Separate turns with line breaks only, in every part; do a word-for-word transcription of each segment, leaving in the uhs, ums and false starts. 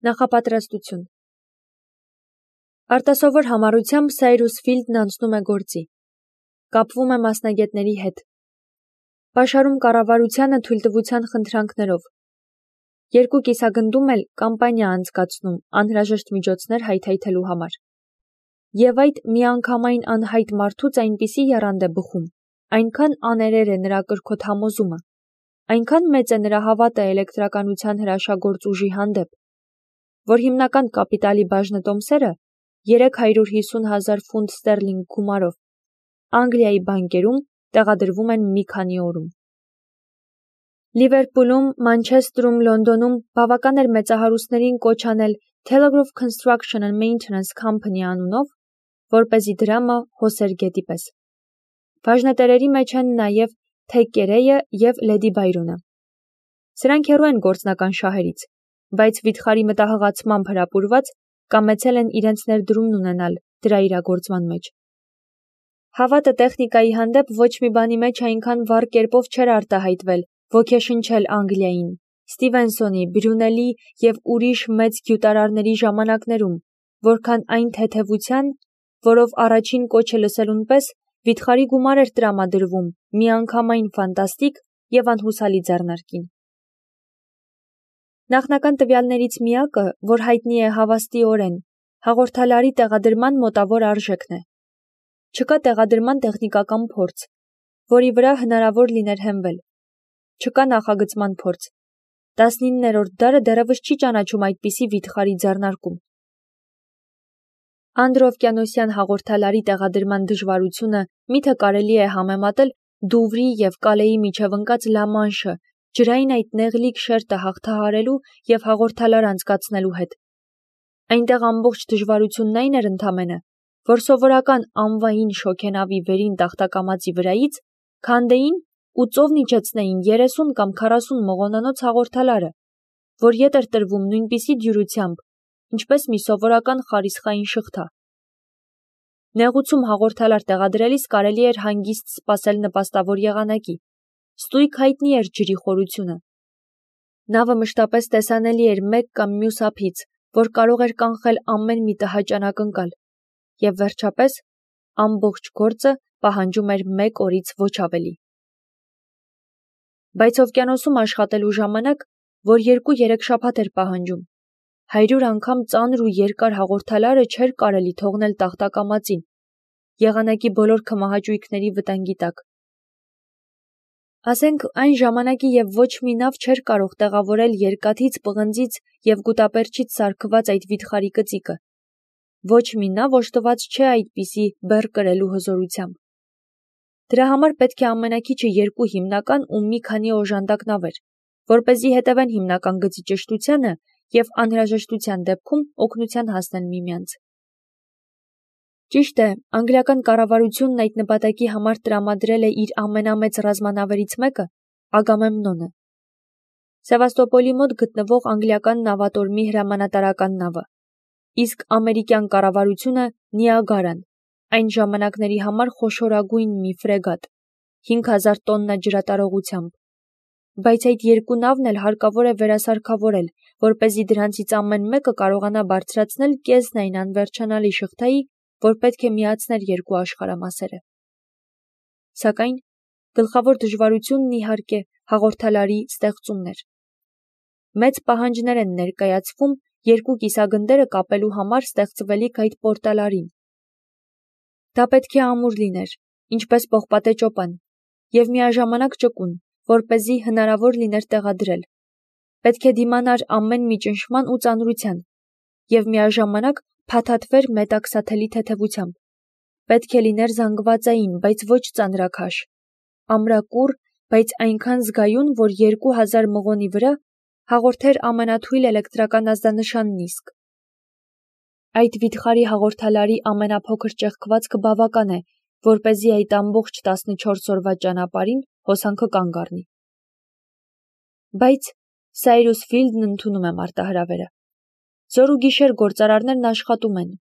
Նախապատրաստություն Արտասովոր համառությամբ Սայրուս Ֆիլդն անցնում է գործի։ Կապվում է մասնագետների հետ։ Պաշարում կառավարությանը թույլտվության խնդրանքներով։ Երկու կիսագնդում էլ կամպանիա անցկացնում անհրաժեշտ միջոցներ հայթայթելու համար։ Եվ այդ միանգամայն անհայտ մարդուց այնպիսի եռանդ է բխում, այնքան աներեր է նրա կրքոտ համոզումը, այնքան մեծ է նրա հավատը էլեկտրականության հրաշագործ ուժի հանդեպ, որ հիմնական կապիտալի բաժնետոմսերը երեք հարյուր հիսուն հազար ֆունտ ստերլինգ գումարով Անգլիայի բանկերում տեղադրվում են մի քանի օրում։ Լիվերպուլում, Մանչեստրում, Լոնդոնում բավական էր մեծահարուստներին կոչ անել Telegraph Construction and Maintenance Company անունով, որպեսզի դրամը հոսեր գետի պես։ Բաժնետերերի մեջ են նաև Թեկկերեյը և Լեդի Բայրոնը։ Սրանք հեռու են գործնական շահերից, բայց վիթխարի մտահղացմամբ հրապուրված կամեցել են իրենց ներդրումն ունենալ դրա իրագործման մեջ։ Հավատը տեխնիկայի հանդեպ ոչ մի բանի մեջ այնքան վառ կերպով չէր արտահայտվել, ոգեշնչել Անգլիային, Ստիվենսոնի, Բրյունելի և ուրիշ մեծ գյուտարարների ժամանակներում, որքան այն թեթևության, որով առաջին կոչը լսելուն պես վիթխարի գումար էր տրամադրվում միանգամայն ֆանտաստիկ և անհուսալի ձեռնարկին։ Նախնական տվյալներից միակը, որ հայտնի է հավաստիորեն, հաղորդալարի տեղադրման մոտավոր արժեքն է։ Չկա տեղադրման տեխնիկական փորձ, որի վրա հնարավոր լիներ հենվել։ Չկա նախագծման փորձ։ տասնիններորդ դարը դեռևս չի ճանաչում այդպիսի վիթխարի ձեռնարկում։ Անդրօվկիանոսյան հաղորդալարի տեղադրման դժվարությունը միթե կարելի է համեմատել Դուվրի և Կալեի միջև ընկած Լամանշը ջրային այդ նեղլիկ շերտը հաղթահարելու և հաղորդալար անցկացնելու հետ։ Այնտեղ ամբողջ դժվարությունն այն էր ընդամենը, որ սովորական անվային շոգենավի վերին տախտակամածի վրայից քանդեին ու ծովն իջեցնեին երեսուն կամ քառասուն մողոնանոց հաղորդալարը, որ ետ էր տրվում նույնպիսի դյուրությամբ, ինչպես մի սովորական խարիսխային շղթա։ Նեղուցում հաղորդալար տեղադրելիս կարելի էր հանգիստ սպասել նպաստավոր եղանակի, ստույգ հայտնի էր ջրի խորությունը։ Նավը մշտապես տեսանելի էր մեկ կամ մյուս ափից, որ կարող էր կանխել ամեն մի տհաճ անակնկալ, և վերջապես ամբողջ գործը պահանջում էր մեկ օրից ոչ ավելի։ Բայց օվկիանոսում աշխատելու ժամանակ, որ երկու-երեք շաբաթ էր պահանջում, հարյուր անգամ ծանր ու երկար հաղորդալարը չէր կարելի թողնել տախտակամածին, եղանակի բոլոր քմահաճույքների վտանգի տակ։ Ասենք այն ժամանակի և ոչ մի նավ չէր կարող տեղավորել երկաթից, պղնձից և գուտապերճից սարքված այդ վիթխարի կծիկը։ Ոչ մի նավ օժտված չէ այդպիսի բեռ կրելու հզորությամբ։ Դրա համար պետք է ամենաքիչը երկու հիմնական ու մի քանի օժանդակ նավեր, որպեսզի հետևեն հիմնական գծի ճշտությանը և անհրաժեշտության դեպքում օգնության հասնեն միմյանց։ Ճիշտ է, անգլիական կառավարությունն այդ նպատակի համար տրամադրել է իր ամենամեծ ռազմանավերից մեկը՝ Ագամեմնոնը, Սևաստոպոլի մոտ գտնվող անգլիական նավատորմի հրամանատարական նավը, իսկ ամերիկյան կառավարությունը Նիագարան, այն ժամանակների համար խոշորագույն մի ֆրեգատ, հինգ հազար տոննա ջրատարողությամբ։ Բայց այդ երկու նավն էլ հարկավոր է վերասարքավորել, որպեսզի դրանցից ամեն մեկը կարողանա բարձրացնել կեսն այն անվերջանալի շղթայի, որ պետք է միացներ երկու աշխարհամասերը։ Սակայն գլխավոր դժվարությունն իհարկե հաղորդալարի ստեղծումն էր։ Մեծ պահանջներ են ներկայացվում երկու կիսագնդերը կապելու համար ստեղծվելիք այդ պորտալարին։ Դա պետք է ամուր լիներ, ինչպես պողպատե ճոպան, և միաժամանակ ճկուն, որպեսզի հնարավոր լիներ տեղադրել։ Պետք է դիմանար ամեն մի ճնշման ու ծանրության, և միաժամանակ փաթաթվեր մետաքսաթելի թեթևությամբ։ Պետք է լիներ զանգվածային, բայց ոչ ծանրաքաշ, ամրակուռ, բայց այնքան զգայուն, որ երկու հազար մղոնի վրա հաղորդեր ամենաթույլ էլեկտրական ազդանշանն իսկ։ Այդ վիթխարի հաղորդալարի ամենափոքր ճեղքվածքը բավական է, որպեսզի այդ ամբողջ տասնչորս օրվա ճանապարհին հոսանքը կանգ առնի։ Բայց Սայրուս Ֆիլդն ընդունում է մարտահրավերը։ Զոր ու գիշեր գործարարներն աշխատում են։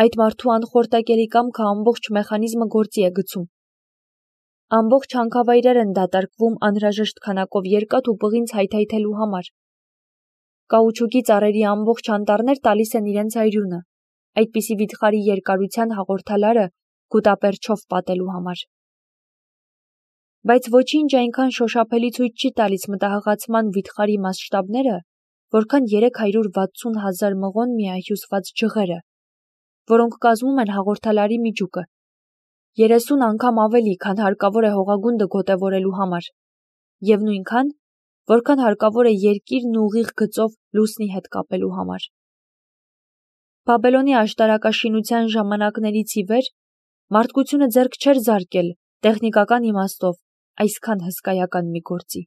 Այդ մարդու անխորտակելի կամքը ամբողջ մեխանիզմը գործի է գցում։ Ամբողջ հանքավայրեր են դատարկվում անհրաժեշտ քանակով երկաթ ու պղինձ հայթայթելու համար։ Կաուչուկի ծառերի ամբողջ անտառներ տալիս են իրենց այրյունը, այդպիսի վիթխարի երկարության հաղորդալարը գուտապերչով պատելու համար։ Բայց ոչինչ այնքան շոշափելի ցույց չի տալիս մտահղացման վիթխարի մասշտաբները, որքան երեք հարյուր վաթսուն հազար մղոն միահյուսված ջղերը, որոնք կազմում են հաղորդալարի միջուկը, երեսուն անգամ ավելի, քան հարկավոր է հողագունդը գոտևորելու համար, և նույնքան, որքան հարկավոր է երկիրն ուղիղ գծով լուսնի հետ կապելու համար։ Բաբելոնի աշտարակաշինության ժամանակներից ի վեր մարդկությունը ձեռք չէր զարկել տեխնիկական իմաստով այսքան հսկայական մի գործի։